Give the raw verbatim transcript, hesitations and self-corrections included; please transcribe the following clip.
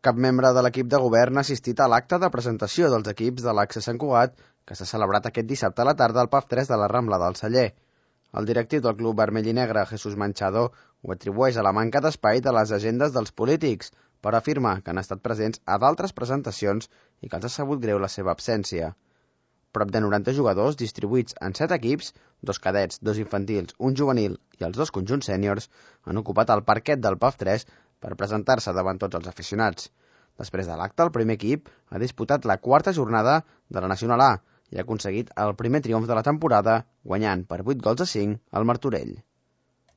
Cap membre de l'equip de govern ha assistit a l'acte de presentació dels equips de l'A C C Sant Cugat, que s'ha celebrat aquest dissabte a la tarda al P A F tres de la Rambla del Celler. El directiu del Club Vermell i Negre, Jesús Manchado, ho atribueix a la manca d'espai de les agendes dels polítics, però afirma que han estat presents a d'altres presentacions i que els ha sabut greu la seva absència. Prop de noranta jugadors, distribuïts en set equips, dos cadets, dos infantils, un juvenil i els dos conjunts sèniors, han ocupat el parquet del P A F tres per presentar-se davant tots els aficionats. Després de l'acte, el primer equip ha disputat la quarta jornada de la Nacional A i ha aconseguit el primer triomf de la temporada, guanyant per vuit gols a cinc al Martorell.